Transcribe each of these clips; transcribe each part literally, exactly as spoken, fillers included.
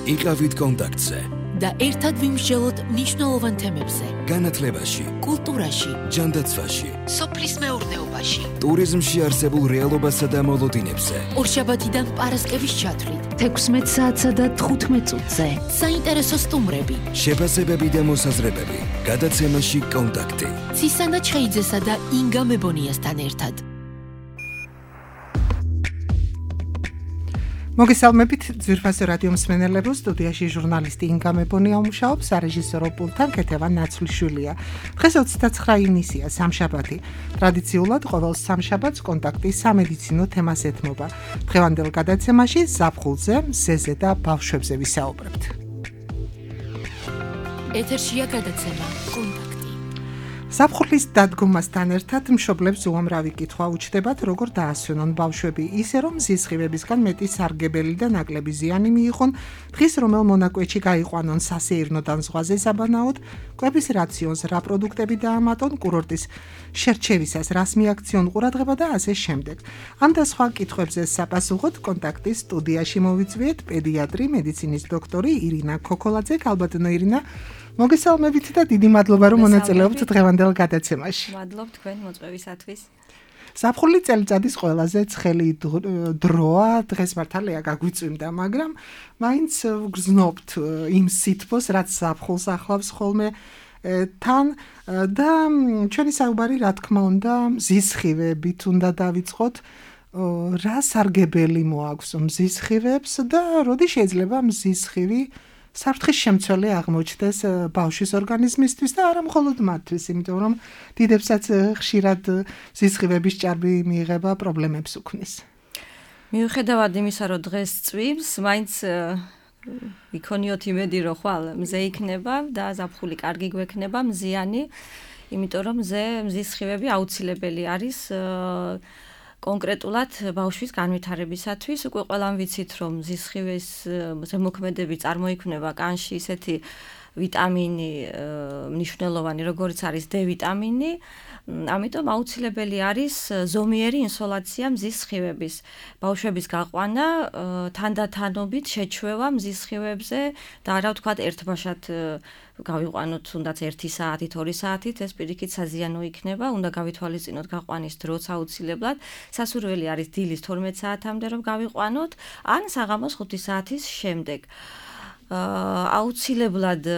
იყავით კონტაქტზე და ერთად ვიმსჯელოთ მნიშვნელოვან თემებზე. განათლებაში, კულტურაში, ჯანდაცვაში, სოფლის მეურნეობაში, ტურიზმში არსებულ რეალობასა და მოლოდინებზე. ორშაბათიდან პარასკევის ჩათვლით, თექვსმეტ საათსა და თხუთმეტ წუთზე. საინტერესო სტუმრები, შეფასებები და მოსაზრებები. გადაცემაში კონტაქტი. ცისანა ჩხეიძესა და ინგა მებონიასთან ერთად. მოგესალმებით ძვირფასო რადიო მსმენელებო, სტუდიაში ჟურნალისტი ინგა მებონია მუშაობს, სარეჟისორო პულტთან ქეთევან ნაცვლიშვილია. დღეს ოცდაცხრა ივნისია, სამშაბათი. ტრადიციულად ყოველ სამშაბათს კონტაქტი სამედიცინო თემას ეთმობა. დღევანდელ გადაცემაში ზაფხულზე, მზეზე და ბავშვებზე ვისაუბრებთ. ეთერშია გადაცემა კონტაქტი. ზაფხულის დადგომასთან ერთად მშობლებს უამრავი კითხვა უჩნდებათ, როგორ დაასვენონ ბავშვები, ისე რომ ზისხივებისგან მეტი სარგებელი და ნაკლები ზიანი მიიღონ, დღის რომელ მონაკვეთში გაიყვანონ სასეირნოდან ზღვაზე საბანაოდ, კვების რაციონს რა პროდუქტები დაამატონ, კურორტის შერჩევისას რას მიაქციონ ყურადღება და ასე შემდეგ. ამ და სხვა კითხვებზე საპასუხოდ კონტაქტის სტუდიაში მოვიწვიეთ პედიატრი, მედიცინის დოქტორი ირინა ქოქოლაძე. ალბათო ირინა, მოგესალმებით და დიდი მადლობა რომ მონაწილეობთ დღევანდელ გადაცემაში. მადლობ თქვენ მოწვევისათვის. ზაფხული წელიწადის ყველაზე ცხელი დროა, დღეს მართალია გაგვიწვიმდა, მაგრამ მაინც ვგრძნობთ იმ სითბოს, რაც ზაფხულს ახლავს ხოლმე თან და ჩვენი საუბარი რა თქმა უნდა მზისხივებით უნდა დავიწყოთ. რა სარგებელი მოაქვს მზისხივებს და როდი შეიძლება მზისხივი საფრთხის შემცველი აღმოჩნდეს ბავშვის ორგანიზმისთვის და არა მხოლოდ მათთვის, იმიტომ რომ დიდებსაც ხშირად ზისხივების ჭარბი მიიღება პრობლემებს უქმნის. მიუხედავად იმისა, რომ დღეს წვიმს, მაინც იქონიოთ იმედი, რომ ხვალ მზე იქნება და ზაფხული კარგი გვექნება, მზიანი, იმიტომ რომ მზე მზისხივები აუცილებელი არის კონკრეტულად ბავშვის განვითარებისათვის. უკვე ყველამ ვიცით, რომ ზისხივის ზემოქმედები წარმოიქმნება კანში ისეთი ვიტამინი მნიშვნელოვანი, როგორიც არის D ვიტამინი. ამიტომ აუცილებელი არის ზომიერი ინსოლაცია მზის სხივების. ბავშვების გაყვანა თანდათანობით შეჩვევა მზის სხივებზე და არა ვთქვათ ერთბაშად გავიყვანოთ თუნდაც ერთი საათით, ორი საათით, ეს პირიქით საზიანო იქნება, უნდა გავითვალისწინოთ გაყვანის დროც აუცილებლად. სასურველი არის დილის თორმეტ საათამდე რომ გავიყვანოთ, ან საღამოს ხუთი საათის შემდეგ. აუცილებლად,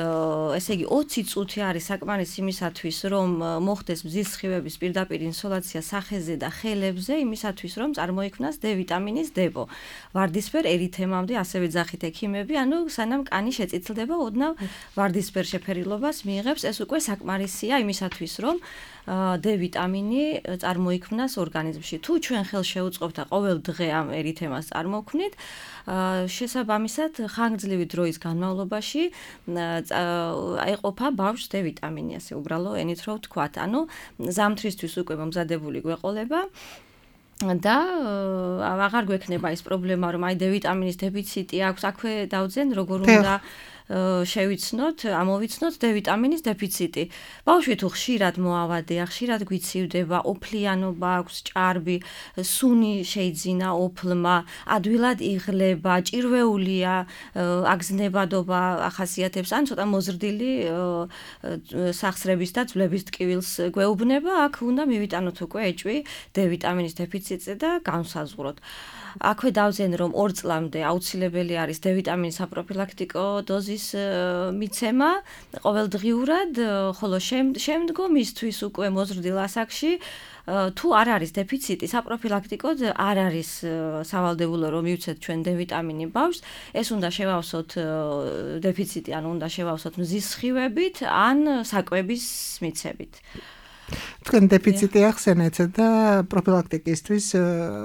ესე იგი ოცი წუთი არის საკმარისი იმისათვის, რომ მოხდეს მზის სხივების პირდაპირ ინსოლაცია სახეზე და ხელებზე, იმისათვის, რომ წარმოიქმნას D ვიტამინის დებო. ვარდისფერ ერითემამდე ასევე ძახით ექიმები, ანუ სანამ კანი შეწითლდება, ოდნავ ვარდისფერ შეფერილობას მიიღებს, ეს უკვე საკმარისია იმისათვის, რომ D ვიტამინი წარმოიქმნას ორგანიზმში. თუ ჩვენ ხელს შევუწყობთ და ყოველ დღე ამ ერითემას წარმოვქმნით, შესაბამისად ხანგრძლივი დროის განმავლობაში აიყოფა ბავშვს D ვიტამინი, ასე უბრალო ენით რო ვთქვათ. ანუ ზამთრისთვის უკვე მომზადებული გვეყოლება და აღარ გვექნება ის პრობლემა, რომ აი D ვიტამინის დეფიციტი აქვს, აქვე დავძენ როგორ უნდა შევიცნოთ, ამოვიცნოთ D ვიტამინის დეფიციტი. ბავშვი თუ ხშირად მოავადეა, ხშირად გვიცივდება, ოფლიანობა აქვს, ჭარბი, სუნი შეიძინა ოფლმა, ადვილად იღლება, ჭირვეულია, აგზნებადობა ახასიათებს, ან ცოტა მოზრდილი სახსრების და ძვლების ტკივილს გვეუბნება, აქ უნდა მივიტანოთ უკვე ეჭვი D ვიტამინის დეფიციტზე და განსაზღვროთ. აქვე დავზენ რომ ორ წლამდე აუცილებელი არის D ვიტამინის საპროფილაქტიკო დოზის მიცემა ყოველდღიურად, ხოლო შემდგომ ისთვის უკვე მოზრდილ ასაკში თუ არ არის დეფიციტი, საპროფილაქტიკოდ არ არის სავალდებულო რომ მივცეთ ჩვენ D ვიტამინი ბავშვს, ეს უნდა შევავსოთ დეფიციტი, ანუ უნდა შევავსოთ მზის სხივებით ან საკვების მიცებით. თქვენ დეფიციტი ახსენეთ და პროფილაქტიკისთვის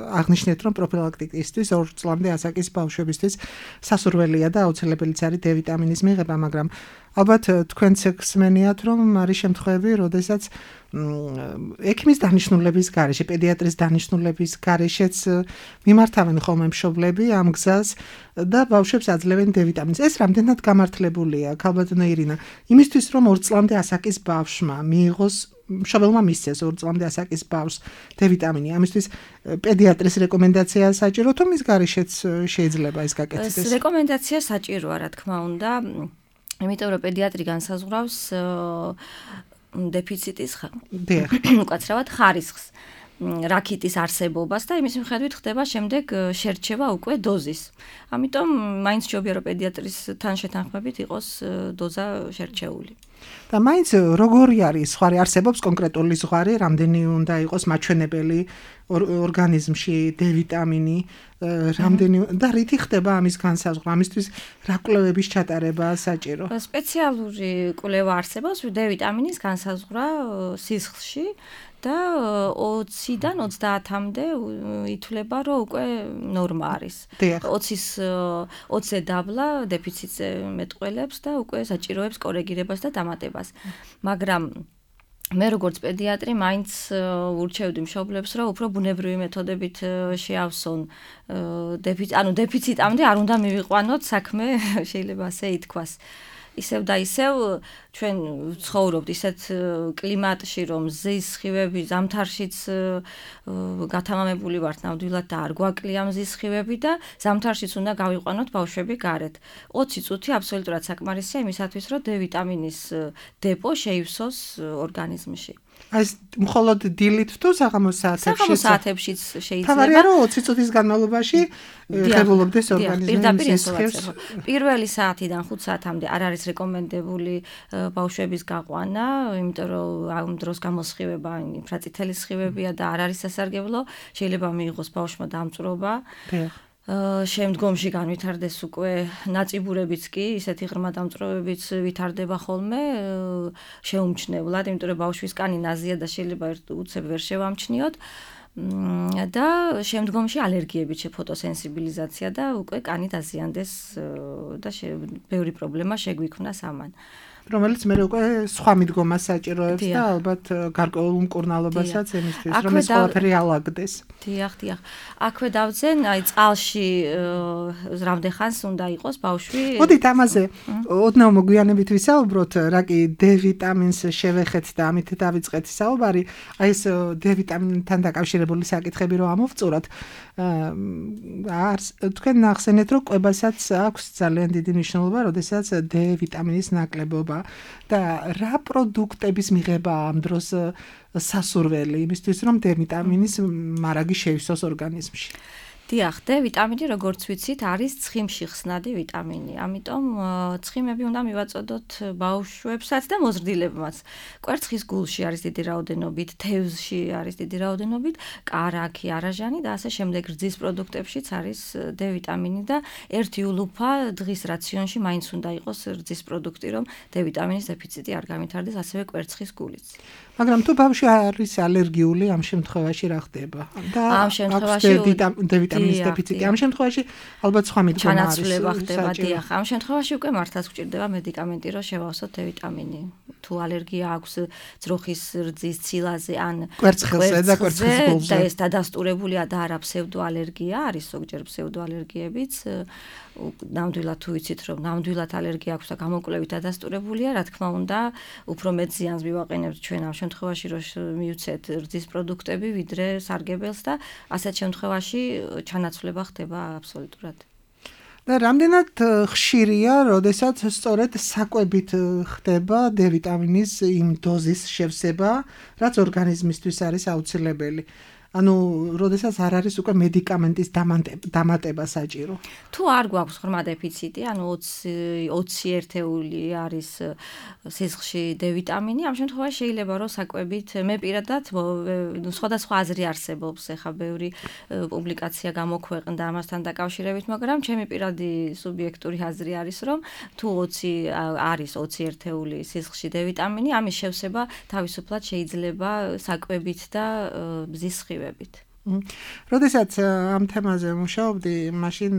აღნიშნეთ, რომ პროფილაქტიკისთვის ორ წლამდე ასაკის ბავშვებისთვის სასურველია და აუცილებელიც არის D ვიტამინის მიღება, მაგრამ ალბათ თქვენც გსმენიათ, რომ არის შემთხვევები, როდესაც ექიმის დანიშნულების გარეშე, პედიატრის დანიშნულების გარეშეც მიმართავენ ხოლმე მშობლები ამ გზას და ბავშვებს აძლევენ D ვიტამინს. ეს რამდენად გამართლებულია, ქალბატონო ირინა, იმისთვის რომ ორ წლამდე ასაკის ბავშვმა მიიღოს მშობელმა მისცეს ორ წლამდე ასაკის ბავშვს D ვიტამინი. ამისთვის პედიატრის რეკომენდაცია საჭირო თუ მის გარეშეც შეიძლება ეს გაკეთდეს? რეკომენდაცია საჭიროა, რა თქმა უნდა, იმიტომ რომ პედიატრი განსაზღვრავს დეფიციტის უკაცრავად ხარისხს. რაკიტის არსებობას და იმის მიხედვით ხდება შემდეგ შერჩევა უკვე დოზის. ამიტომ მაინც ჯობია რომ პედიატრის თანშეთანხმებით იყოს დოზა შერჩეული. და მაინც როგორი არის ზღვარი არსებობს კონკრეტული ზღვარი, რამდენი უნდა იყოს მაჩვენებელი ორგანიზმში D ვიტამინი, რამდენი და რითი ხდება ამის განსაზღვრა, ამისთვის რა კვლევების ჩატარება საჭირო? სპეციალური კვლევა არსებობს D ვიტამინის განსაზღვრა სისხლში. და ოციდან ოცდაათამდე ითვლება, რომ უკვე ნორმა არის. ოცის ოცზე დაბლა დეფიციტზე მეტყველებს და უკვე საჭიროებს კორეგირებას და დამატებას. მაგრამ მე როგორც პედიატრი მაინც ურჩევდი მშობლებს, რომ უფრო ბუნებრივი მეთოდებით შეავსონ დეფიციტ, ანუ დეფიციტამდე არ უნდა მივიყვანოთ საქმე, შეიძლება ასე ითქვას. ისევ და ისევ ჩვენ ცხოვრობთ ისეთ კლიმატში, რომ მზის სხივები ზამთარშიც გათამამებული ვართ ნამდვილად და არ გვაკლია მზის სხივები და ზამთარშიც უნდა გავიყვანოთ ბავშვები გარეთ. ოცი წუთი აბსოლუტურად საკმარისია იმისათვის, რომ D ვიტამინის დეპო შეივსოს ორგანიზმში. ეს მხოლოდ დილით თუ საღამოს საათებში? საღამოს საათებშიც შეიძლება. თავარია რომ ოცი წუთის განმავლობაში ღებულობდეს ორგანიზმის სხივს. პირველი საათიდან ხუთ საათამდე არ არის რეკომენდებული ბავშვების გაყვანა, იმიტომ რომ ამ დროს გამოსხივება ინფრაწითელი სხივებია და არ არის სასარგებლო, შეიძლება მიიღოს ბავშვმა დამწვრობა. შემდგომში განვითარდეს უკვე ნაწიბურებიც კი, ისეთი ღრმა დამწვრობებიც ვითარდება ხოლმე შეუმჩნევლად, იმიტომ რომ ბავშვის კანი ნაზია და შეიძლება უცებ ვერ შევამჩნიოთ. და შემდგომში ალერგიებიც, ფოტოსენსიბილიზაცია და უკვე კანი დაზიანდეს და ბევრი პრობლემა შეგვიქმნას ამან. რომელიც მე უკვე სხვა მიდგომას საჭიროებს და ალბათ გარკვეულ უმკურნალობასაც იმისთვის, რომ ეს ყველაფერი ალაგდეს. დიახ, დიახ. აქვე დავძენ, აი წყალში რამდენხანს უნდა იყოს ბავშვი. მოდით ამაზე ოდნავ მოგვიანებით ვისაუბროთ, რა კი D ვიტამინს შევეხეთ და ამით დავიწყეთ საუბარი. აი ეს D ვიტამინთან დაკავშირებული საკითხები რომ ამოვწუროთ. თქვენ ნახსენეთ, რომ კვებასაც აქვს ძალიან დიდი მნიშვნელობა, როდესაც D ვიტამინის ნაკლებობა და რა პროდუქტების მიღება ამ დროს სასურველი იმისთვის, რომ D ვიტამინის მარაგი შეივსოს ორგანიზმში. დიახ, D ვიტამინი, როგორც ვიცით, არის ცხიმში ხსნადი ვიტამინი. ამიტომ ცხიმები უნდა მივაწოდოთ ბავშვებსაც და მოზრდილებმაც. კვერცხის გულში არის დიდი რაოდენობით, თევზში არის დიდი რაოდენობით, კარაქი, არაჟანი და ასე შემდეგ რძის პროდუქტებშიც არის D ვიტამინი და ერთი ულუფა დღის რაციონში მაინც უნდა იყოს რძის პროდუქტი, რომ D ვიტამინის დეფიციტი არ გამვითარდეს, ასევე კვერცხის გულიც. მაგრამ თუ ბავშვი არის ალერგიული, ამ შემთხვევაში რა ხდება? და ამ შემთხვევაში D ვიტამინის დეფიციტი. ამ შემთხვევაში ალბათ სხვა მიდგომა არის. ჩანაცვლება ხდება, დიახ. ამ შემთხვევაში უკვე მართლაც გვჭირდება მედიკამენტი, რომ შევავსოთ D ვიტამინი. თუ ალერგია აქვს ძროხის რძის ცილაზე ან კვერცხზე და კვერცხის გულზე. და ეს დადასტურებულია და არა ფსევდოალერგია, არის ზოგჯერ ფსევდოალერგიებიც. ნამდვილად თუ ვიცით, რომ ნამდვილად ალერგია აქვს და გამოკვლევით დადასტურებულია, რა თქმა უნდა, უფრო მეტ ზიანს მივაყენებთ ჩვენ ამ შემთხვევაში, რომ მივცეთ რძის პროდუქტები, ვიდრე სარგებელს და ასეთ შემთხვევაში ჩანაცვლება ხდება აბსოლუტურად. და რამდენად ხშირია, როდესაც სწორედ საკვებით ხდება D ვიტამინის იმ დოზის შევსება, რაც ორგანიზმისთვის არის აუცილებელი. ანუ როდესაც არ არის უკვე მედიკამენტის დამატება საჭირო. თუ არ გვაქვს ღრმა დეფიციტი, ანუ ოცი ერთეული არის სისხლში D ვიტამინი, ამ შემთხვევაში შეიძლება რომ საკვებით მე პირადად სხვადასხვა აზრი არსებობს, ეხა ბევრი პუბლიკაცია გამოქვეყნდა ამასთან დაკავშირებით, მაგრამ ჩემი პირადი სუბიექტური აზრი არის, რომ თუ ოცი არის ოცი ერთეული სისხლში D ვიტამინი, ამის შევსება თავისუფლად შეიძლება საკვებით და მზის სხივებით. როდესაც ამ თემაზე მუშაობდი, მაშინ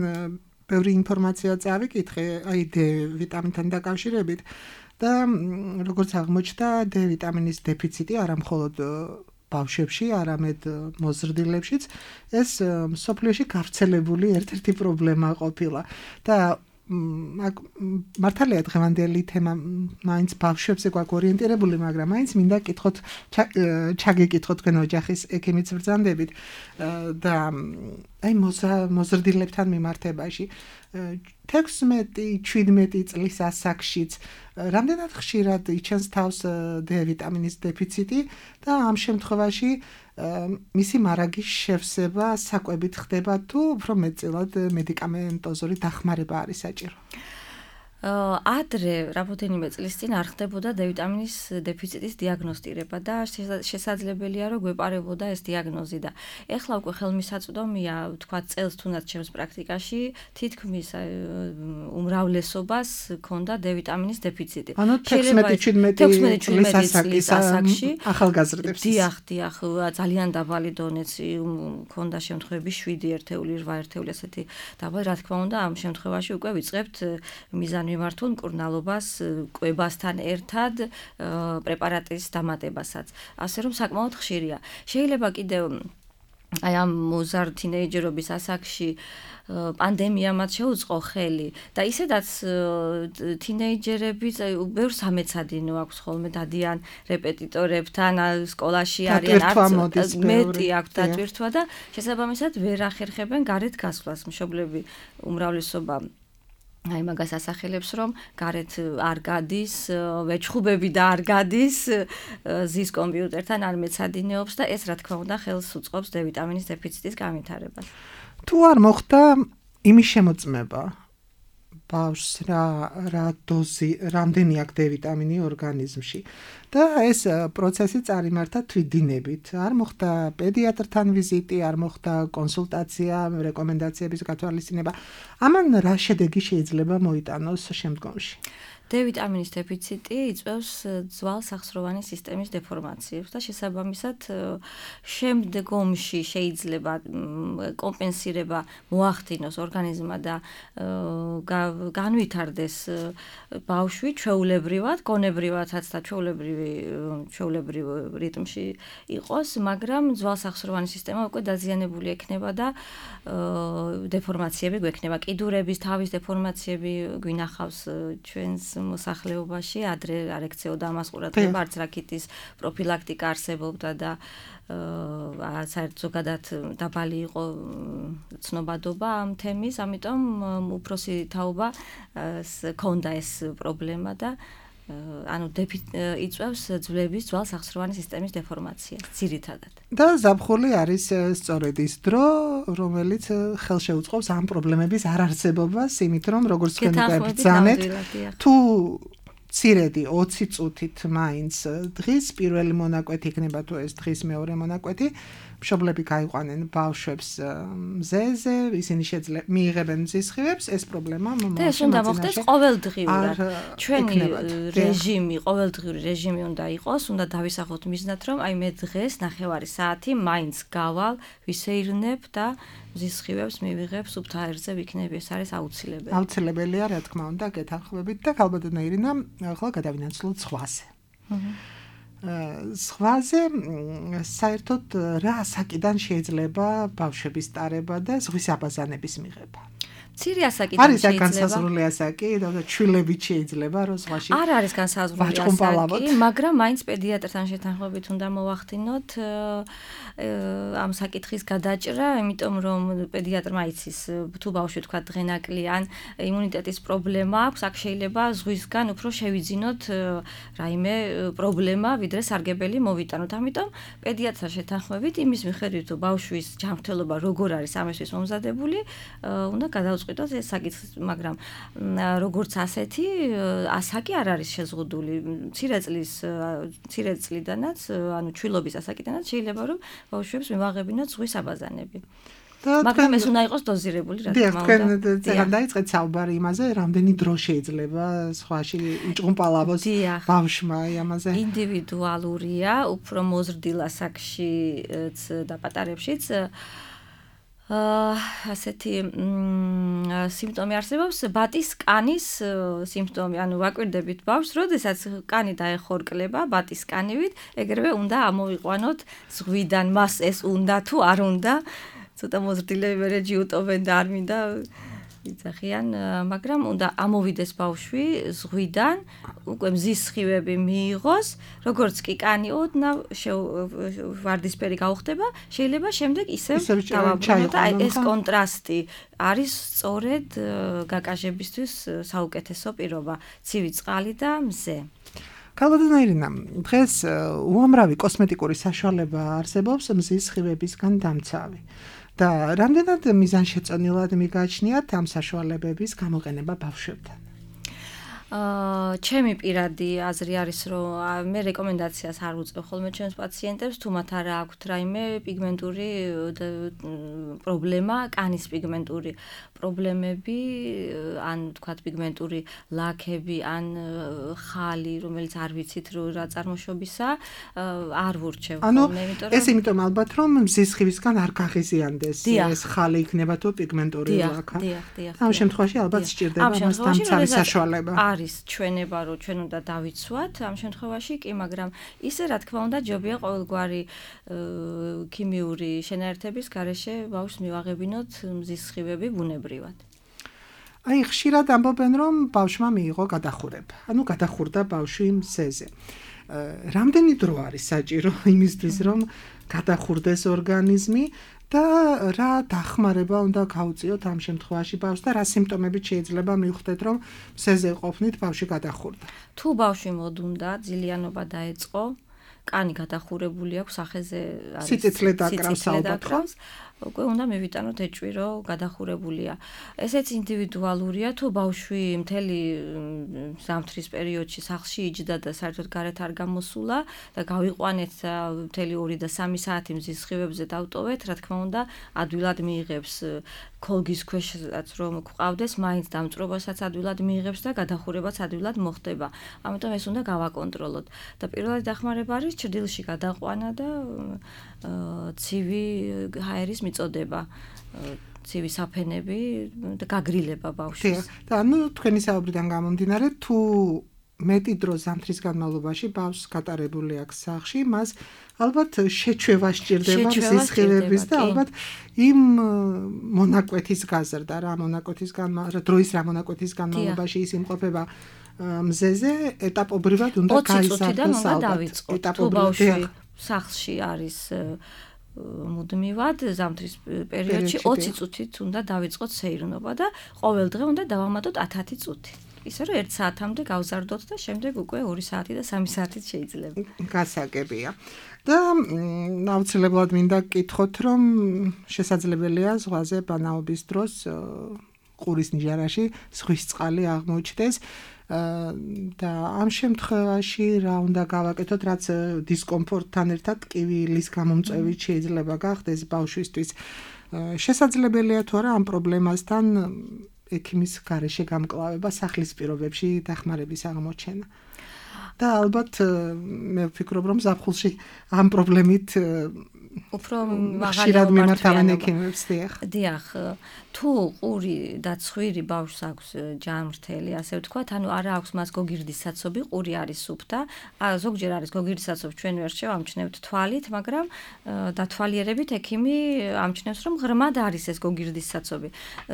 ბევრი ინფორმაცია წავიკითხე, აი D ვიტამინთან დაკავშირებით და როგორც აღმოჩნდა, D ვიტამინის დეფიციტი არა მხოლოდ ბავშვებში, არამედ მოზრდილებშიც ეს მსოფლიოში გავრცელებული ერთ-ერთი პრობლემა ყოფილა და მართალია დღევანდელი თემა მაინც ბავშვებზე გვაქვს ორიენტირებული, მაგრამ მაინც მინდა კითხოთ ჩაგეკითხოთ თქვენ ოჯახის ექიმის ბრძანდებით და აი მოზრდილებთან მიმართებაში თექვსმეტი შვიდმეტი წლის ასაკშიც რამდენად ხშირად იჩენს თავს D ვიტამინის დეფიციტი და ამ შემთხვევაში მისი მარაგის შევსება საკვებით ხდება თუ უფრო მეტწილად მედიკამენტოზური დახმარება არის საჭირო? ადრე რამოდენიმე წლის წინ არ ხდებოდა D ვიტამინის დეფიციტის დიაგნოსტირება და შესაძლებელია რომ გვეპარებოდა ეს დიაგნოზი და ეხლა უკვე ხელმისაწვდომია თქვა წელს თუნდაც ჩემს პრაქტიკაში თითქმის უმრავლესობას ქონდა D ვიტამინის დეფიციტი. ანუ თექვსმეტი შვიდმეტი წლის ასაკში ახალგაზრდებს. დიახ, დიახ, ძალიან დაბალი დონეც ქონდა შემთხვევები შვიდი ერთეული, რვა ერთეული ასეთი დაბალი, რა თქმა უნდა, ამ შემთხვევაში უკვე ვიწყებთ მიზანი მიმართულ მკურნალობას კვებასთან ერთად პრეპარატის დამატებასაც. ასე რომ საკმაოდ ხშირია. შეიძლება კიდევ აი ამ მოზარ თინეიჯერობის ასაკში პანდემია მათ შეუწყო ხელი და ისედაც თინეიჯერები ბევრს ამეცადინო აქვს ხოლმე დადიან რეპეტიტორებთან სკოლაში არიან არც მეტი აქვს დატვირთვა და შესაბამისად ვერ ახერხებენ გარეთ გასვლას. მშობლები უმრავლესობა აი მაგას ასახელებს რომ გარეთ არ გადის, ვეჩხუბები და არ გადის, ზის კომპიუტერთან არ მეცადინეობს და ეს რა თქმა უნდა ხელს უწყობს D ვიტამინის დეფიციტის განვითარებას. თუ არ მოხდა იმის შემოწმება ბავშვს რა რა დოზი, რამდენი აქვს D ვიტამინი ორგანიზმში და ეს პროცესი წარიმართა თვითდინებით. არ მოხდა პედიატრთან ვიზიტი, არ მოხდა კონსულტაცია, რეკომენდაციების გათვალისწინება. ამან რა შედეგი შეიძლება მოიტანოს შემდგომში? D ვიტამინის დეფიციტი იწვევს ძვალ-სახსროვანი სისტემის დეფორმაციებს და შესაბამისად შემდგომში შეიძლება კომპენსირება მოახდინოს ორგანიზმმა და განვითარდეს ბავშვი ჩვეულებრივად, გონებრივადაც და ჩვეულებრივი ჩვეულებრივ რიტმში იყოს, მაგრამ ძვალ-სახსროვანი სისტემა უკვე დაზიანებული ექნება და დეფორმაციები გვექნება. კიდურების თავის დეფორმაციები გვინახავს ჩვენს მოსახლეობაში ადრე არ ექცეოდა ამას ყურადღება, არც რაკიტის პროფილაქტიკა არსებობდა და საერთოდ ზოგადად დაბალი იყო ცნობადობა ამ თემის, ამიტომ უფროსი თაობა ქონდა ეს პრობლემა და ანუ იწვევს ძვლების ძვალ-სახსროვანი სისტემის დეფორმაციას ძირითადად. და ზაფხული არის სწორედ ის დრო, რომელიც ხელშეუწყობს ამ პრობლემების არ არსებობას, იმით რომ როგორც თქვენ ბრძანეთ, თუ მცირედი ოცი წუთით მაინც დღის პირველი მონაკვეთი იქნება თუ ეს დღის მეორე მონაკვეთი, მშობლები გაიყვანენ ბავშვებს მზეზე, ისინი შეძლებ მიიღებენ მზისხივებს, ეს პრობლემა და ეს უნდა მოხდეს ყოველდღიურად. ჩვენი რეჟიმი, ყოველდღიური რეჟიმი უნდა იყოს, უნდა დავისახოთ მიზნად, რომ აი მე დღეს ნახევარი საათი მაინც გავალ, ვისეირნებ და მზისხივებს მივიღებ სუფთა აირზე ვიქნები, ეს არის აუცილებელი. აუცილებელია, რა თქმა უნდა, გეთანხმებით და ქალბატონო ირინა, ახლა გადავინაცვლოთ ზღვაზე. ზღვაზე საერთოდ რა ასაკიდან შეიძლება ბავშვების ტარება და ზღვის აბაზანების მიღება? მცირე ასაკიდან შეიძლება. არის განსაზღვრული ასაკი და ჩვილებით შეიძლება რომ ზღვაში არ არის განსაზღვრული ასაკი, მაგრამ მაინც პედიატრთან შეთანხმებით უნდა მოვახდინოთ ამ საკითხის გადაჭრა, იმიტომ რომ პედიატრმა იცის თუ ბავშვი თქვა დღენაკლიან იმუნიტეტის პრობლემა აქვს, აქ შეიძლება ზღვისგან უფრო შევიძინოთ რაიმე პრობლემა, ვიდრე სარგებელი მოვიტანოთ. ამიტომ პედიატრთან შეთანხმებით იმის მიხედვით თუ ბავშვის ჯანმრთელობა როგორ არის ამისთვის მომზადებული, უნდა გადავწყვიტოთ ეს საკითხი, მაგრამ როგორც ასეთი ასაკი არ არის შეზღუდული. მცირე წლის მცირე წლიდანაც, ანუ ჩვილობის ასაკიდანაც შეიძლება რომ ბავშვებს მივაღებინოთ ზღვის აბაზანები. მაგრამ ეს უნდა იყოს დოზირებული, რა თქმა უნდა. თქვენ წერან დაიწყეთ საუბარი იმაზე, რამდენი დრო შეიძლება ზღვაში იჭყუმპალავოს ბავშვმა ამაზე. ინდივიდუალურია, უფრო მოზრდილ ასაკშიც და პატარებშიც ასეთი სიმპტომი არსებობს, ბატის კანის სიმპტომი, ანუ ვაკვირდებით ბავშვს, როდესაც კანი დაეხორკლება ბატის კანივით, ეგრევე უნდა ამოვიყვანოთ ზღვიდან, მას ეს უნდა თუ არ უნდა, ცოტა მოზრდილები მერე ჯიუტობენ და არ მინდა იძახიან, მაგრამ უნდა ამოვიდეს ბავშვი ზღვიდან, უკვე მზის სხივები მიიღოს, როგორც კი კანი ოდნავ ვარდისფერი გაუხდება, შეიძლება შემდეგ ისევ დავაბრუნოთ და ეს კონტრასტი არის სწორედ გაკაჟებისთვის საუკეთესო პირობა, ცივი წყალი და მზე. ქალბატონო ირინა, დღეს უამრავი კოსმეტიკური საშუალება არსებობს მზის სხივებისგან დამცავი. და რამდენად მიზანშეწონილად მიგაჩნიათ ამ საშუალებების გამოყენება ბავშვებთან? აა ჩემი პირადი აზრი არის, რომ მე რეკომენდაციას არ უწევ ხოლმე ჩემს პაციენტებს, თუ მათ არ აქვთ რაიმე პიგმენტური პრობლემა, კანის პიგმენტური პრობლემები, ან თქვათ პიგმენტური ლაქები, ან ხალი, რომელიც არ ვიცით რა წარმოშობისა, არ ვურჩევ ხოლმე, იმიტომ რომ ეს იმიტომ ალბათ რომ მზის სხივისგან არ გაღიზიანდეს ეს ხალი იქნება თუ პიგმენტური ლაქა. დიახ, დიახ. ამ შემთხვევაში ალბათ სჭირდება მას დამცავი საშუალება. არის ჩვენება, რომ ჩვენ უნდა დავიცვათ ამ შემთხვევაში კი, მაგრამ ისე რა თქმა უნდა ჯობია ყოველგვარი ქიმიური შენაერთების გარეშე ბავშვს მივაღებინოთ მზის სხივები ბუნებრივად. აი ხშირად ამბობენ რომ ბავშვმა მიიღო გადახურება. ანუ გადახურდა ბავშვი მზეზე. რამდენი დრო არის საჭირო იმისთვის რომ გადახურდეს ორგანიზმი და რა დახმარება უნდა გაუწიოთ ამ შემთხვევაში ბავშვს და რა სიმპტომებით შეიძლება მივხვდეთ რომ მზეზე ყოფნით ბავშვი გადახურდა. თუ ბავშვი მოდუნდა, ძილიანობა დაეწყო, კანი გადახურებული აქვს, სახეზე არის სიცოცხლე დაკრავს ალბათ. უკვე უნდა მივიტანოთ ეჭვი, რომ გადახურებულია. ესეც ინდივიდუალურია, თუ ბავშვი მთელი ზამთრის პერიოდში სახლში იჯდა და საერთოდ გარეთ არ გამოსულა და გავიყვანეთ და მთელი ორი და სამი საათი მზის სხივებზე დავტოვეთ, რა თქმა უნდა, ადვილად მიიღებს ქოლგის ქვეშაც რომ გვყავდეს, მაინც დამწვრობასაც ადვილად მიიღებს და გადახურებაც ადვილად მოხდება. ამიტომ ეს უნდა გავაკონტროლოთ. და პირველი დახმარება არის ჭრდილში გადაყვანა და ცივი ჰაერის მიწოდება, ცივი საფენები და გაგრილება ბავშვის. და ანუ თქვენი საუბრიდან გამომდინარე, თუ მეტი დრო ზამთრის განმავლობაში ბავშვს გატარებული აქვს სახლში, მას ალბათ შეჩვევა სჭირდება მზის სხივების და ალბათ იმ მონაკვეთის გაზრდა, რა მონაკვეთის განმავლობაში, დროის რა μονაკვეთის განმავლობაში ის იმყოფება მზეზე, ეტაპობრივად უნდა გაიზარდოს ალბათ. ეტაპობრივად სახლში არის მუდმივად ზამთრის პერიოდში ოცი წუთით უნდა დავიწყოთ სეირნობა და ყოველ დღე უნდა დავამატოთ ათი წუთი. ისე რომ ერთ საათამდე გავზარდოთ და შემდეგ უკვე ორი საათი და სამი საათით შეიძლება. გასაგებია. და აუცილებლად მინდა გკითხოთ, რომ შესაძლებელია ზღვაზე ბანაობის დროს ყურის ნიჟარაში ზღვის წყალი აღმოჩნდეს. და ამ შემთხვევაში რა უნდა გავაკეთოთ, რაც დისკომფორტთან ერთად ტკივილის გამომწვევით შეიძლება გახდეს ბავშვისთვის. შესაძლებელია თუ არა ამ პრობლემასთან ექიმის გარეშე გამკლავება სახლის პირობებში დახმარების აღმოჩენა. და ალბათ მე ვფიქრობ რომ ზაფხულში ამ პრობლემით უფრო ხშირად მიმართავენ ექიმებს. დიახ, თუ ყური და ცხვირი ბავშვს აქვს ჯანმრთელი, ასე ვთქვათ, ანუ არა აქვს მას გოგირდის საცობი, ყური არის სუფთა, ზოგჯერ არის გოგირდის საცობი, ჩვენ ვერ შევამჩნევთ თვალით, მაგრამ დათვალიერებით ექიმი ამჩნევს, რომ ღრმად არის ეს გოგირდის საცობი.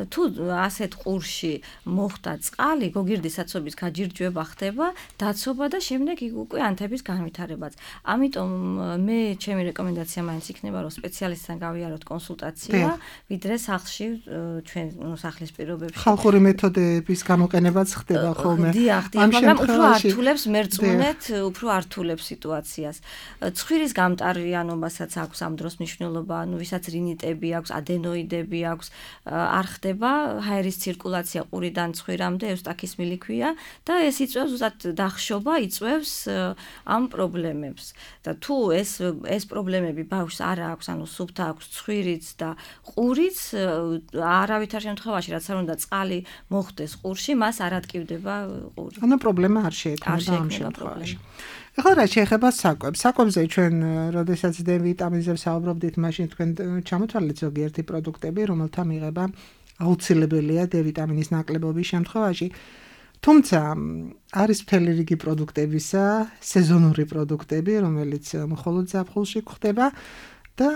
თუ ასეთ ყურში მოხდა წყალი, გოგირდის საცობის გაჯირჯვება ხდება, დაცობა და შემდეგ უკვე ანთების განვითარებაც. ამიტომ მე ჩემი რეკომენდაცია მაინც იქნება, რომ სპეციალისტთან გავიაროთ კონსულტაცია, ვიდრე სახლში ჩვენ სახლის პირობებში. ხალხური მეთოდების გამოყენებაც ხდება ხოლმე. დიახ, დიახ, მაგრამ უფრო ართულებს მერწმუნეთ, უფრო ართულებს სიტუაციას. ცხვირის გამტარიანობასაც აქვს ამ დროს მნიშვნელობა, ანუ ვისაც რინიტები აქვს, ადენოიდები აქვს, არ ხდება ჰაერის ცირკულაცია ყურიდან ცხვირამდე, ევსტაქის მილი ქვია და ეს იწვევს ზუსტად დახშობა, იწვევს ამ პრობლემებს. და თუ ეს ეს პრობლემები ბავშვს არ აქვს, ანუ სუფთა აქვს ცხვირიც და ყურიც, არავითარ შემთხვევაში, რაც არ უნდა წყალი მოხდეს ყურში, მას არ ატკივდება ყური. ანუ პრობლემა არ შეექმნება ამ შემთხვევაში. ეხლა რა შეეხება საკვებს. საკვებზე ჩვენ როდესაც დე ვიტამინზე ვსაუბრობდით, მაშინ თქვენ ჩამოთვალეთ ზოგიერთი პროდუქტები, რომელთა მიღება აუცილებელია დე ვიტამინის ნაკლებობის შემთხვევაში. თუმცა არის მთელი რიგი პროდუქტებისა, სეზონური პროდუქტები, რომელიც მხოლოდ ზაფხულში გვხდება და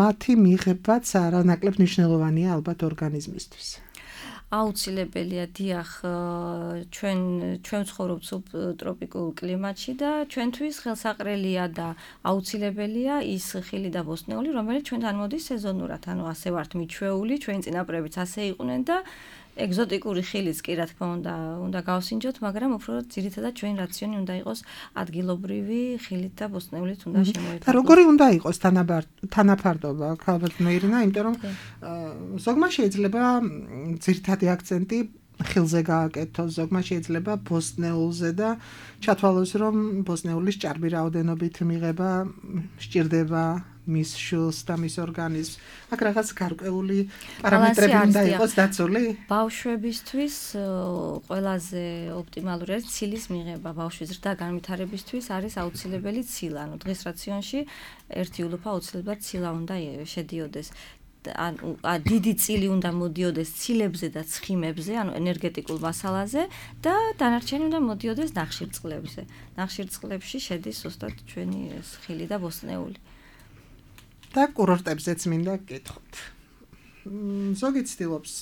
მათი მიღებაც არანაკლებ მნიშვნელოვანია ალბათ ორგანიზმისთვის. აუცილებელია დიახ ჩვენ ჩვენ ვცხოვრობთ სუბტროპიკულ კლიმატში და ჩვენთვის ხელსაყრელია და აუცილებელია ის ხილი და ბოსტნეული, რომელიც ჩვენთან მოდის სეზონურად, ანუ ასე ვართ მიჩვეული, ჩვენი წინაპრებიც ასე იყვნენ და ეგზოტიკური ხილიც კი რა თქმა უნდა უნდა გავსინჯოთ, მაგრამ უფრო ძირითადად ჩვენი რაციონი უნდა იყოს ადგილობრივი ხილით და ბოსტნეულით უნდა შემოიფარგლოს. და როგორი უნდა იყოს თანაფარდობა, ალბათ მეირინა, იმიტომ რომ ზოგმა შეიძლება ძირითადი აქცენტი ხილზე გააკეთოს, ზოგმა შეიძლება ბოსტნეულზე და ჩათვალოს, რომ ბოსტნეულის ჭარბი რაოდენობით მიღება სჭირდება მის შულს და მის ორგანიზმს. აქ რაღაც გარკვეული პარამეტრები უნდა იყოს დაცული? ბავშვებისთვის ყველაზე ოპტიმალური არის ცილის მიღება. ბავშვის ზრდა განვითარებისთვის არის აუცილებელი ცილა. ანუ დღის რაციონში ერთი ულუფა აუცილებლად ცილა უნდა შედიოდეს. ანუ დიდი წილი უნდა მოდიოდეს ცილებზე და ცხიმებზე, ანუ ენერგეტიკულ მასალაზე და დანარჩენი უნდა მოდიოდეს ნახშირწყლებზე. ნახშირწყლებში შედის ზუსტად ჩვენი ხილი და ბოსტნეული. და კურორტებზეც მინდა გკითხოთ. ზოგი ცდილობს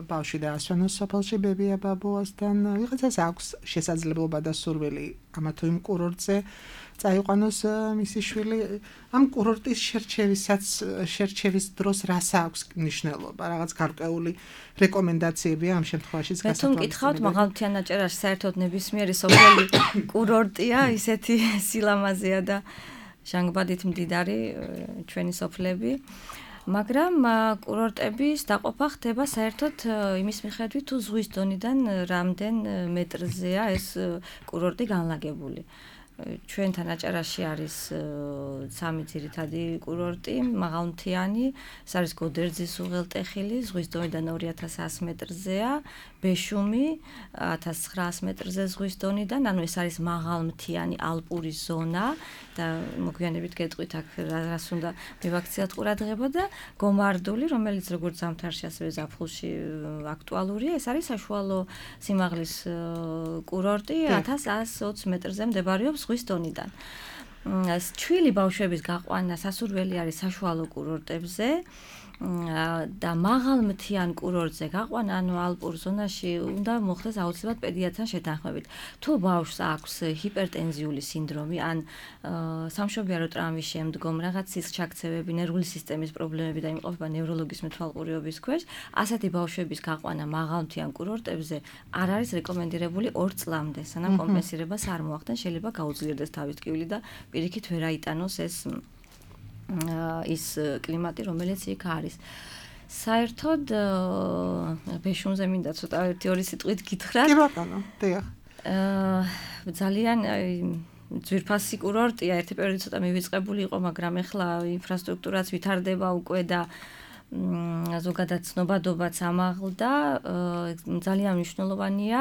ბავშვი დაასვენოს სოფელში ბებია ბაბუასთან, ვიღაცას აქვს შესაძლებლობა და სურვილი ამა თუ იმ კურორტზე წაიყვანოს მისი შვილი. ამ კურორტის შერჩევისაც შერჩევის დროს რას აქვს მნიშვნელობა? რაღაც გარკვეული რეკომენდაციებია ამ შემთხვევაში გასაგებია? მე თუ მკითხავთ, მაღალმთიან აჭარაში საერთოდ ნებისმიერი სოფელი კურორტია, ისეთი სილამაზეა და ჟანგბადით მდიდარი ჩვენი სოფლები. მაგრამ კურორტების დაყოფა ხდება საერთოდ იმის მიხედვით, თუ ზღვის დონიდან რამდენ მეტრზეა ეს კურორტი განლაგებული. ჩვენთან აჭარაში არის სამი ძირითადი კურორტი, მაღალმთიანი, ეს არის გოდერძის უღელტეხილი, ზღვის დონიდან ორი ათას ასი მეტრზეა, ბეშუმი ათას ცხრაასი მეტრზე ზღვის დონიდან, ანუ ეს არის მაღალმთიანი ალპური ზონა და მოგვიანებით გეტყვით აქ რას უნდა მივაქციათ ყურადღება და გომარდული, რომელიც როგორც ზამთარში ასევე ზაფხულში აქტუალურია, ეს არის საშუალო სიმაღლის კურორტი, ათას ასი ოცი მეტრზე მდებარეობს ზღვის დონიდან. ჩვილი ბავშვების გაყვანა სასურველი არის საშუალო კურორტებზე და მაღალმთიან კურორტზე გაყვანა, ანუ ალპურ ზონაში უნდა მოხდეს აუცილებლად პედიატრთან შეთანხმებით. თუ ბავშვს აქვს ჰიპერტენზიული სინდრომი ან სამშობიარო ტრამვის შემდგომ რაღაც სისხლჩაქცევები, ნერვული სისტემის პრობლემები და იმყოფება ნევროლოგის მეთვალყურეობის ქვეშ, ასეთი ბავშვების გაყვანა მაღალმთიან კურორტებზე არ არის რეკომენდირებული ორ წლამდე, სანამ კომპენსირებას არ მოახდენ, შეიძლება გაუძლიერდეს თავის ტკივილი და პირიქით ვერ აიტანოს ეს ის კლიმატი, რომელიც იქ არის. საერთოდ ბეშუმზე მინდა ცოტა ერთი ორი სიტყვით გითხრათ. კი ბატონო, დიახ. ძალიან ძვირფასი კურორტია, ერთი პერიოდი ცოტა მივიწყებული იყო, მაგრამ ეხლა ინფრასტრუქტურაც ვითარდება უკვე და ზოგადად ცნობადობაც ამაღლდა, ძალიან მნიშვნელოვანია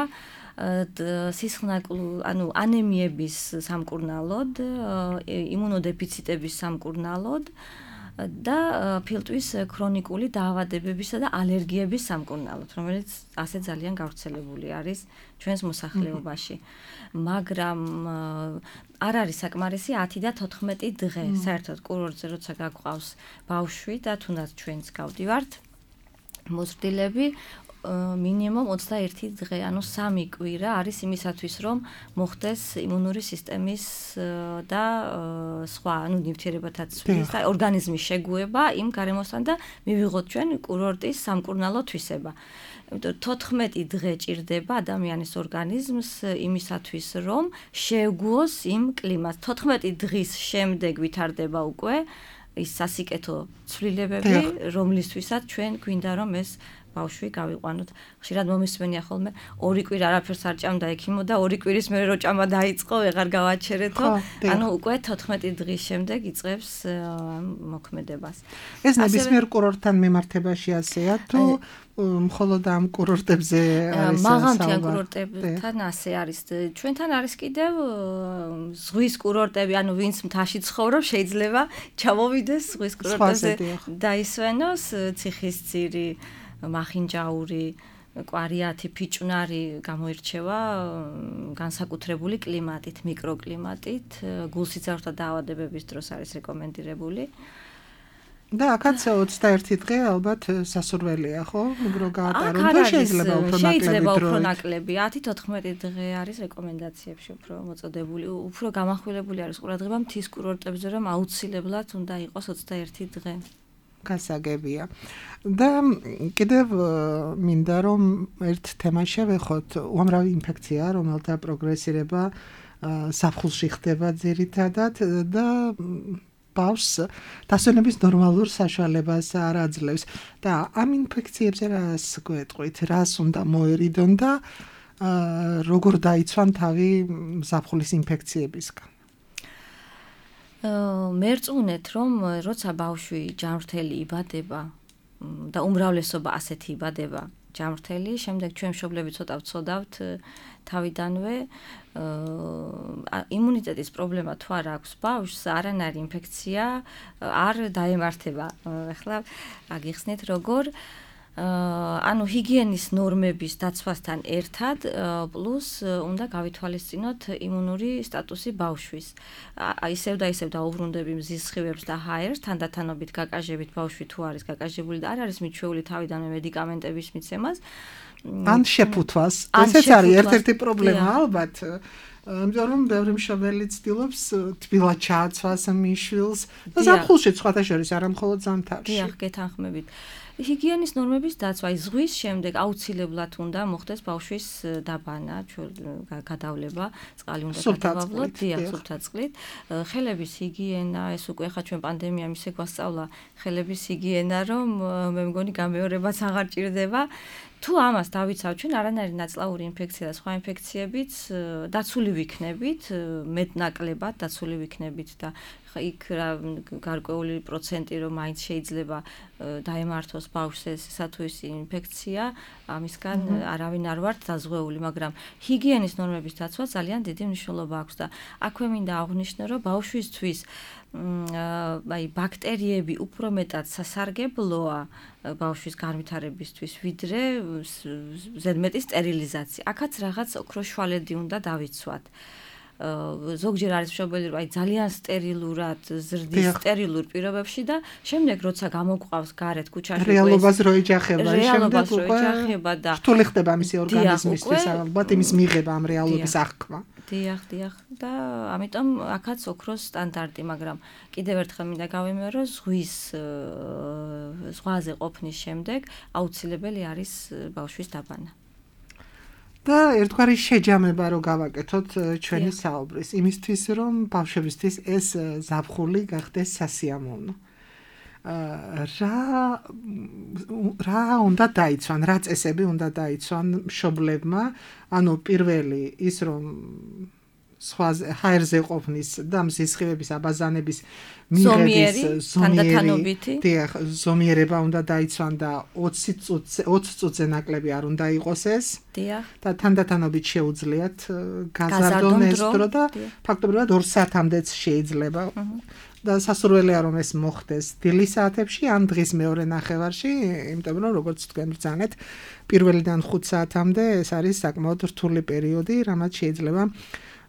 სისხლნაკლ, ანუ ანემიების სამკურნალოდ, იმუნოდეფიციტების სამკურნალოდ და ფილტვის ქრონიკული დაავადებებისა და ალერგიების სამკურნალოდ, რომელიც ასე ძალიან გავრცელებული არის ჩვენს მოსახლეობაში. მაგრამ არ არის საკმარისი ათი და თოთხმეტი დღე, საერთოდ კურორტზე როცა გაგვყავს ბავშვი და თუნდაც ჩვენც გავდივართ მოზრდილები, მინიმუმ ოცდაერთი დღე, ანუ სამი კვირა არის იმისათვის, რომ მოხდეს იმუნური სისტემის და სხვა, ანუ ნივთიერებათა ცვლის და ორგანიზმის შეგუება იმ გარემოსთან და მივიღოთ ჩვენ კურორტის სამკურნალო თვისება. იმიტომ თოთხმეტი დღე ჭირდება ადამიანის ორგანიზმს იმისათვის, რომ შეგუოს იმ კლიმატს. თოთხმეტი დღის შემდეგ ვითარდება უკვე ის სასიკეთო ცვლილებები, რომლისთვისაც ჩვენ გვინდა რომ ეს ბავშვი გავიყვანოთ. ხშირად მომისმენია ხოლმე ორი კვირა არაფერს არ ჭამდა ექიმო და ორი კვირის მერე რო ჭამა დაიწყო, ვეღარ გავაჩერეთო. ანუ უკვე თოთხმეტი დღის შემდეგ იწყებს მოქმედებას. ეს ნებისმიერ კურორტთან მიმართებაში ასეა თუ მხოლოდ ამ კურორტებზე არის მაღალმთიან კურორტებთან ასე არის. ჩვენთან არის კიდევ ზღვის კურორტები, ანუ ვინც მთაში ცხოვრობს, შეიძლება ჩამოვიდეს ზღვის კურორტებზე დაისვენოს, ციხისძირი, მახინჯაური, კვარიათი, ფიჭვნარი გამოირჩევა განსაკუთრებული კლიმატით, მიკროკლიმატით, გულსიცრუთა დაავადებების დროს არის რეკომენდირებული. და აქაც ოცდაერთი დღე ალბათ სასურველია, ხო? რო გაატარონ და შეიძლება უფრო ნაკლები შეიძლება უფრო ნაკლები, ათი თოთხმეტი დღე არის რეკომენდაციებში უფრო მოწოდებული, უფრო გამახვილებული არის ყურადღება მთის კურორტებზე, რომ აუცილებლად უნდა იყოს ოცდაერთი დღე. გასაგებია. და კიდევ მინდა რომ ერთ თემას შევეხოთ, უამრავი ინფექცია, რომელთა პროგრესირება ზაფხულში ხდება ძირითადად და ბავშვს დასვენების ნორმალურ საშუალებას არ აძლევს და ამ ინფექციებზე რას გვეტყვით, რას უნდა მოერიდონ და როგორ დაიცვან თავი ზაფხულის ინფექციებისგან. მერწმუნეთ რომ როცა ბავშვი ჯანმრთელი იბადება და უმრავლესობა ასეთი იბადება ჯანმრთელი, შემდეგ ჩვენ მშობლები ცოტა ვცოდავთ თავიდანვე იმუნიტეტის პრობლემა თუ არ აქვს ბავშვს, არანაირი ინფექცია არ დაემართება. ახლა აგიხსნით როგორ ანუ ჰიგიენის ნორმების დაცვასთან ერთად პლუს უნდა გავითვალისწინოთ იმუნური სტატუსი ბავშვის. ისევ და ისევ დაუბრუნდები მზის სხივებს და ჰაერს, თანდათანობით გაკაჟებით ბავშვი თუ არის გაკაჟებული და არ არის მიჩვეული თავიდანვე მედიკამენტების მიცემას. ან შეფუთვას. ესეც არის ერთ-ერთი პრობლემა ალბათ. იმიტომ რომ ბევრი მშობელი ცდილობს თბილად ჩააცვას მიშვილს და ზაფხულში სხვათა შორის არა მხოლოდ ზამთარში. დიახ, გეთანხმებით. ჰიგიენის ნორმების დაცვა ზღვის შემდეგ აუცილებლად უნდა მოხდეს ბავშვის დაბანა, გადავლება, წყალი უნდა გადავავლოთ, დიახ, სუფთა წყლით. ხელების ჰიგიენა, ეს უკვე ხა ჩვენ პანდემიამ ისე გვასწავლა ხელების ჰიგიენა, რომ მე მგონი გამეორებაც აღარ ჭირდება. თუ ამას დავიცავ ჩვენ არანაირი ნაწლავური ინფექცია და სხვა ინფექციებიც დაცული ვიქნებით, მეტნაკლებად დაცული ვიქნებით და იქ გარკვეული პროცენტი რომ მაინც შეიძლება დაემართოს ბავშვს ესა თუ ის ინფექცია, ამისგან არავინ არ ვართ დაზღვეული, მაგრამ ჰიგიენის ნორმების დაცვა ძალიან დიდი მნიშვნელობა აქვს და აქვე მინდა აღვნიშნო, რომ ბავშვისთვის აი ბაქტერიები უფრო მეტად სასარგებლოა ბავშვის განვითარებისთვის, ვიდრე ზედმეტი სტერილიზაცია. აქაც რაღაც ოქროს შვალედი უნდა დავიცვათ. ზოგჯერ არის მშობელი, რომ აი ძალიან სტერილურად ზრდის სტერილურ პირობებში და შემდეგ როცა გამოგვყავს გარეთ ქუჩაში რეალობას რო ეჯახება, შემდეგ უკვე და რთული ხდება მისი ორგანიზმისთვის ალბათ იმის მიღება ამ რეალობის აღქმა. დიახ, დიახ და ამიტომ აქაც ოქროს სტანდარტი, მაგრამ კიდევ ერთხელ მინდა გავიმეორო, ზღვის ზღვაზე ყოფნის შემდეგ აუცილებელი არის ბავშვის დაბანა. და ერთგვარი შეჯამება რო გავაკეთოთ ჩვენი საუბრის, იმისთვის რომ ბავშვებისთვის ეს ზაფხული გახდეს სასიამოვნო. რა რა უნდა დაიცვან, რა წესები უნდა დაიცვან მშობლებმა, ანუ პირველი ის რომ სხვა ჰაერზე ყოფნის და მზის სხივების აბაზანების მიღების თანდათანობითი ზომიერება უნდა დაიცვან და ოცი წუთზე ნაკლები არ უნდა იყოს ეს. დიახ. და თანდათანობით შეუძლიათ გაზარდონ ეს დრო და ფაქტობრივად ორ საათამდეც შეიძლება. და სასურველია რომ ეს მოხდეს დილის საათებში ან დღის მეორე ნახევარში, იმიტომ რომ როგორც თქვენ ბრძანეთ, პირველიდან ხუთ საათამდე ეს არის საკმაოდ რთული პერიოდი, რამაც შეიძლება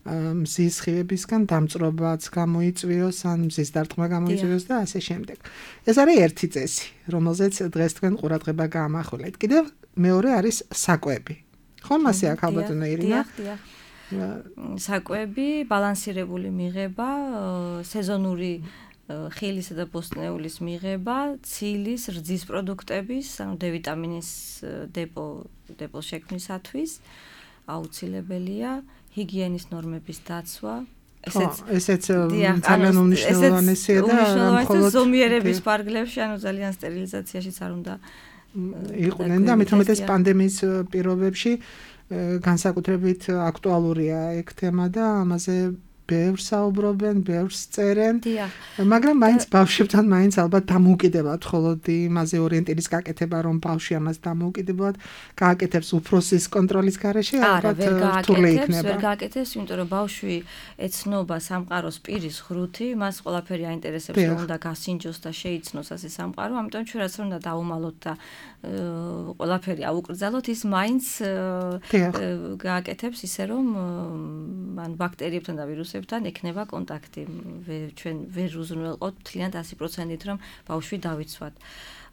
მზის სხივებისგან დამწრობაც გამოიწვიოს, ან მზის დარტყმა გამოიწვიოს და ასე შემდეგ. ეს არის ერთი წესი, რომელზეც დღეს თქვენ ყურადღება გაამახვილეთ. კიდევ მეორე არის საკვები. ხო, მასე აქ ალბათ ნეირინა. საკვები, ბალანსირებული მიღება, სეზონური ხილისა და ბოსტნეულის მიღება, ცილის, რძის პროდუქტების, ანუ დე ვიტამინის დეპო დეპოს შექმნისათვის აუცილებელია. ჰიგიენის ნორმების დაცვა, ესეც ესეც ძალიან უმნიშვნელოვანესია და მხოლოდ ზომიერების პარგლებში, ანუ ძალიან სტერილიზაციაშიც არ უნდა იყვნენ და ამით უმეტეს პანდემიის პირობებში განსაკუთრებით აქტუალურია ეგ თემა და ამაზე ბევრს საუბრობენ, ბევრს წერენ. მაგრამ მაინც ბავშვებთან მაინც ალბათ დამოუკიდებლად მხოლოდ იმაზე ორიენტირის გაკეთება, რომ ბავშვი ამას დამოუკიდებლად გააკეთებს უფროსის კონტროლის გარეშე, ალბათ რთული იქნება. ვერ გააკეთებს, იმიტომ რომ ბავშვი ეცნობა სამყაროს პირის ღრუთი, მას ყველაფერი აინტერესებს, რომ უნდა გასინჯოს და შეიცნოს ასე სამყარო, ამიტომ ჩვენ რაც უნდა დაუმალოთ და ყველაფერი აუკრძალოთ, ის მაინც გააკეთებს ისე რომ ან ბაქტერიებთან და ვირუსებთან ბავშვებთან ექნება კონტაქტი. ჩვენ ვერ უზრუნველყოთ მთლიანად ასი პროცენტით რომ ბავშვი დავიცვათ.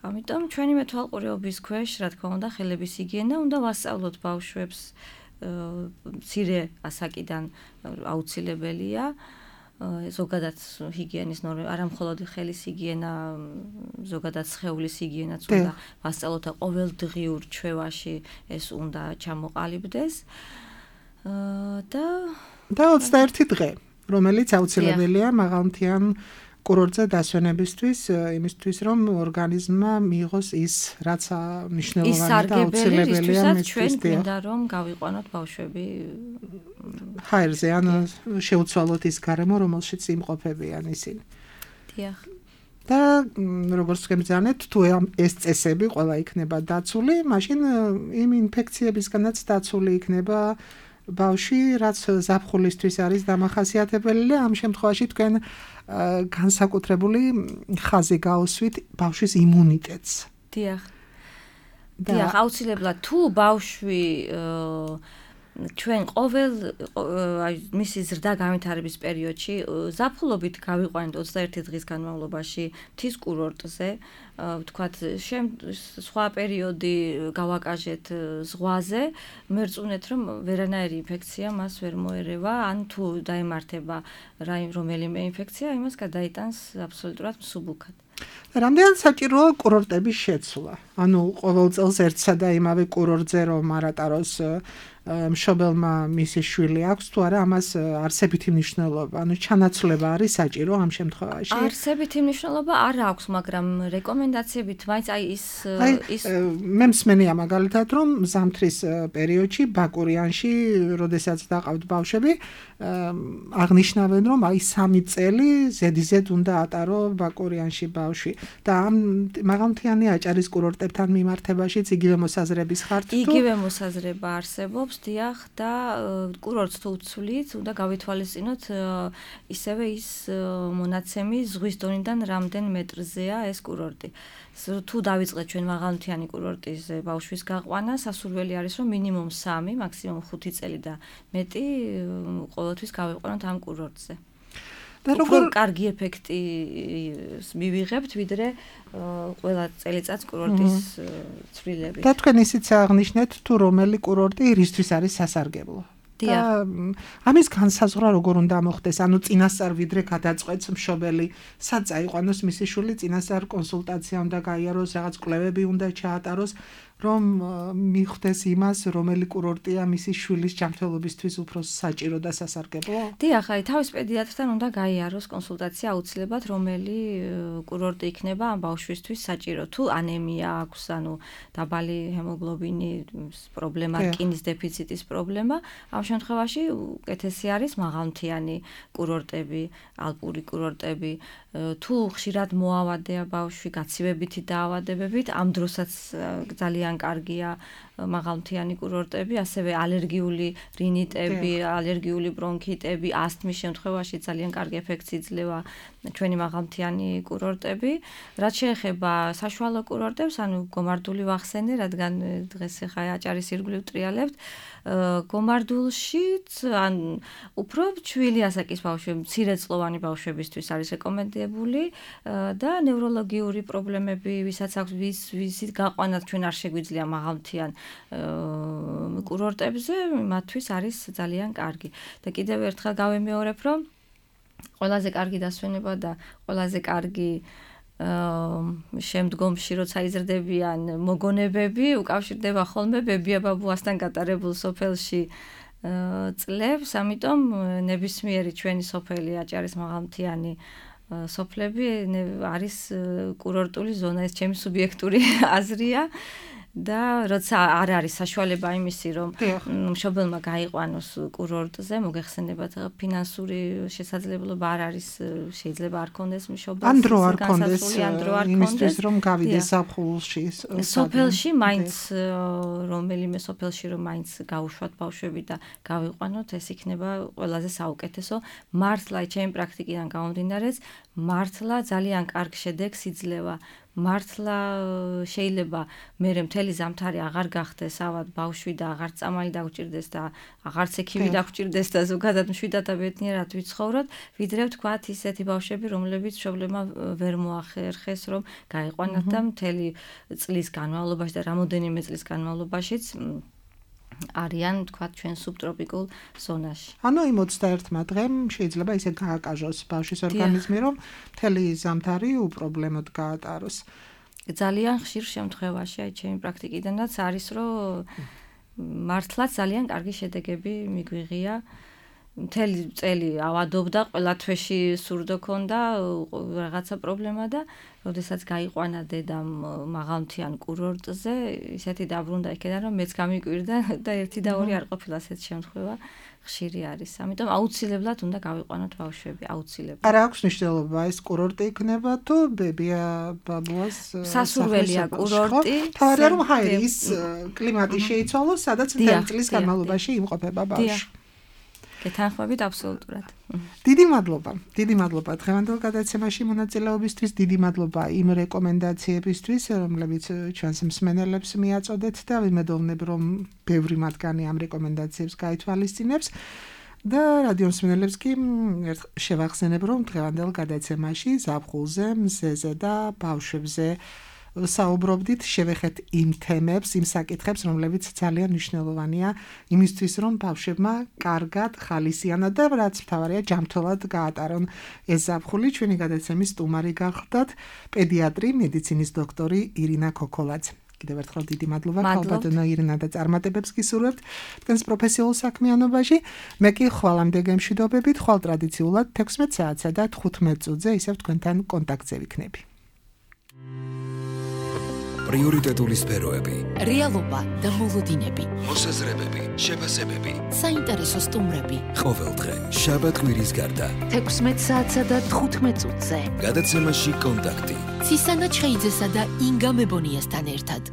ამიტომ ჩვენი მეთვალყურეობის ქვეშ, რა თქმა უნდა, ხელების ჰიგიენა უნდა ვასწავლოთ ბავშვებს მცირე ასაკიდან აუცილებელია. ზოგადად ჰიგიენის ნორმები, არა მხოლოდ ხელის ჰიგიენა, ზოგადად სხეულის ჰიგიენაც უნდა ვასწავლოთ და ყოველდღიურ ჩვევაში ეს უნდა ჩამოყალიბდეს. და და ოცდაერთი დღე, რომელიც აუცილებელია მაღალმთიან კურორტზე დასვენებისთვის, იმისთვის რომ ორგანიზმმა მიიღოს ის, რაც მნიშვნელოვანია და აუცილებელია მისთვის. ჩვენ გვინდა რომ გავიყვანოთ ბავშვები ჰაერზე, ან შეუცვალოთ ის გარემო, რომელშიც იმყოფებიან ისინი. დიახ. და როგორც გემბრძანეთ, თუ ეს წესები ყველა იქნება დაცული, მაშინ იმ ინფექციებისგანაც დაცული იქნება ბავშვი, რაც ზაფხულისთვის არის დამახასიათებელი და ამ შემთხვევაში თქვენ განსაკუთრებული ხაზი გაუსვით ბავშვის იმუნიტეტს. დიახ. დიახ, აუცილებლად თუ ბავშვი ჩვენ ყოველ აი მისი ზრდა განვითარების პერიოდში ზაფხულობით გავიყვანეთ ოცდაერთი დღის განმავლობაში მთის კურორტზე, ვთქვათ, სხვა პერიოდი გავაკაჟეთ ზღვაზე, მერწუნეთ რომ ვერანაირი ინფექცია მას ვერ მოერევა, ან თუ დაემართება რომელიმე ინფექცია, იმას გადაიტანს აბსოლუტურად მსუბუქად. რამდენად საჭიროა კურორტების შეცვლა? ანუ ყოველ წელს ერთსა და იმავე კურორტზე რომ არატაროს მშობელმა მისი შვილი აქვს, თუ არა ამას არსებითი მნიშვნელობა, ანუ ჩანაცვლება არის საჭირო ამ შემთხვევაში? არსებითი მნიშვნელობა არ აქვს, მაგრამ რეკომენდაციებით მაინც აი ის ის მე მსმენია მაგალითად რომ ზამთრის პერიოდში ბაკურიანში, როდესაც დაყავთ ბავშვები, აღნიშნავენ რომ აი სამი წელი ზედიზედ უნდა ატარო ბაკურიანში ბავშვი და ამ მაღალმთიანი აჭარის კურორტებთან მიმართებაშიც იგივე მოსაზრების ხართ თუ? იგივე მოსაზრება არსებობს. დიახ და კურორტს თუ ვცვლით, უნდა გავითვალისწინოთ ისევე ის მონაცემი ზღვის დონიდან რამდენ მეტრზეა ეს კურორტი. თუ დავიწყეთ ჩვენ მაღალმთიანი კურორტის ბავშვის გაყვანა, სასურველი არის რომ მინიმუმ სამი, მაქსიმუმ ხუთი წელი და მეტი ყოველთვის გავიყვანოთ ამ კურორტზე. და როგორ კარგი ეფექტი მივიღებთ, ვიდრე ყველა წელიწადს კურორტის ცვლილები. და თქვენ ისიც აღნიშნეთ, თუ რომელი კურორტი რისთვის არის სასარგებლო. და ამის განსაზღვრა როგორ უნდა მოხდეს? ანუ წინასწარ ვიდრე გადაწყვეტს მშობელი, სად წაიყვანოს მისი შვილი, წინასწარ კონსულტაცია უნდა გაიაროს, რაღაც კვლევები უნდა ჩაატაროს, რომ მიხვდეს იმას, რომელი კურორტია მისი შვილის ჯანმრთელობისთვის უფრო საჭირო და სასარგებლო? დიახ, აი თავის პედიატრთან უნდა გაიაროს კონსულტაცია აუცილებლად, რომელი კურორტი იქნება ამ ბავშვისთვის საჭირო. თუ ანემია აქვს, ანუ დაბალი ჰემოგლობინის პრობლემა, რკინის დეფიციტის პრობლემა, ამ შემთხვევაში უკეთესი არის მაღალმთიანი კურორტები, ალპური კურორტები. თუ ხშირად მოავადეა ბავშვი გაცივებითი დაავადებებით, ამ დროსაც ძალიან კარგია მაღალმთიანი კურორტები, ასევე ალერგიული რინიტები, ალერგიული ბრონქიტები, ასთმის შემთხვევაში ძალიან კარგი ეფექტს იძლევა ჩვენი მაღალმთიანი კურორტები. რაც შეეხება საშუალო კურორტებს, ანუ გომარდული ვახსენე, რადგან დღეს ახლა აჭარის ირგვლივ ტრიალებთ, გომარდულშიც ან უფრო ჩვილი ასაკის ბავშვები, მცირეწლოვანი ბავშვებისთვის არის რეკომენდებული და ნევროლოგიური პრობლემები, ვისაც აქვს ვისით გაყვანათ ჩვენ არ შეგვიძლია მაღალმთიან კურორტებზე, მათთვის არის ძალიან კარგი. და კიდევ ერთხელ გავემეორებ, რომ ყველაზე კარგი დასვენება და ყველაზე კარგი შემდგომში როცა იზრდებიან მოგონებები, უკავშირდება ხოლმე ბებია-ბაბუასთან გატარებულ სოფელში წლებს, ამიტომ ნებისმიერი ჩვენი სოფელი აჭარის მაღალმთიანი სოფლები არის კურორტული ზონა, ეს ჩემი სუბიექტური აზრია. და როცა არ არის საშუალება იმისი, რომ მშობელმა გაიყვანოს კურორტზე, მოგეხსენებათ ფინანსური შესაძლებლობა არ არის, შეიძლება არ კონდეს მშობელს, ან დრო არ კონდეს, იმისთვის რომ გავიდეს ზაფხულში სოფელში, მაინც რომელიმე სოფელში რომ მაინც გაუშვათ ბავშვები და გავიყვანოთ, ეს იქნება ყველაზე საუკეთესო. მართლა ჩემი პრაქტიკიდან გამომდინარეც, მართლა ძალიან კარგ შედეგს იძლევა მართლა შეიძლება მე მთელი ზამთარი აღარ გახდეს ავად ბავშვი და აღარ წამალი დაგჭირდეს და აღარც ექიმი დაგჭირდეს და ზოგადად მშვიდად და ბედნიერად ვიცხოვროთ, ვიდრე ვთქვათ ისეთი ბავშვები, რომლებიც მშობლებმა ვერ მოახერხეს, რომ გაიყვანათ და მთელი წლის განმავლობაში და რამოდენიმე წლის განმავლობაშიც არიან თქვათ ჩვენ სუბტროპიკულ ზონაში. ანუ იმ ოცდაერთმა დღემ შეიძლება ისე გააკაჟოს ბავშვის ორგანიზმი, რომ მთელი ზამთარი უპრობლემოდ გაატაროს. ძალიან ხშირ შემთხვევაში, აი ჩემი პრაქტიკიდანაც არის, რომ მართლაც ძალიან კარგი შედეგები მიგვიღია. მთელი წელი ავადობდა, ყველა თვეში სურდო ქონდა რაღაცა პრობლემა და როდესაც გაიყვანა დედამ მაღალმთიან კურორტზე, ისეთი დაბრუნდა იქიდან, რომ მეც გამიკვირდა და ერთი და ორი არ ყოფილა ასეთ შემთხვევა ხშირი არის. ამიტომ აუცილებლად უნდა გავიყვანოთ ბავშვები, აუცილებლად. არა აქვს მნიშვნელობა ეს კურორტი იქნება თუ ბებია ბაბუას სასურველია კურორტი. თავარია რომ ჰაერის კლიმატი შეიცვალოს, სადაც მთელი წლის განმავლობაში იმყოფება ბავშვი. გეთანხმებით აბსოლუტურად. დიდი მადლობა. დიდი მადლობა დღევანდელ გადაცემაში მონაწილეობისთვის, დიდი მადლობა იმ რეკომენდაციებისთვის, რომლებიც ჩვენს მსმენელებს მიაწოდეთ და ვიმედოვნებ, რომ ბევრი მათგანი ამ რეკომენდაციებს გაითვალისწინებს. და რადიო მსმენელებს კი შევახსენებ, რომ დღევანდელ გადაცემაში ზაფხულზე, მზეზე და ბავშვებზე საუბრობდით, შევეხეთ იმ თემებს, იმ საკითხებს, რომლებიც ძალიან მნიშვნელოვანია იმისთვის, რომ ბავშვებმა კარგად, ხალისიანად და რაც მთავარია, ჯანმრთელად გაატარონ ეს ზაფხული. ჩვენი გადაცემის სტუმარი გახლდათ პედიატრი, მედიცინის დოქტორი ირინა ქოქოლაძე. კიდევ ერთხელ დიდი მადლობა ხალბატონო ირინა და წარმატებებს გისურვებთ თქვენს პროფესიულ საქმიანობაში. მე კი ხვალამდე გემშვიდობებით, ხვალ ტრადიციულად თექვსმეტ საათსა და თხუთმეტ წუთზე ისევ თქვენთან კონტაქტზე ვიქნები. პრიორიტეტული სფეროები, რეალობა და მოლოდინები, მოსაზრებები, შეფასებები, საინტერესო სტუმრები. ყოველდღე შაბათ-კვირის გარდა თექვსმეტ საათსა და თხუთმეტ წუთზე. გადაცემაში კონტაქტი. ცისანა ჩხეიძესა და ინგა მებონიასთან ერთად.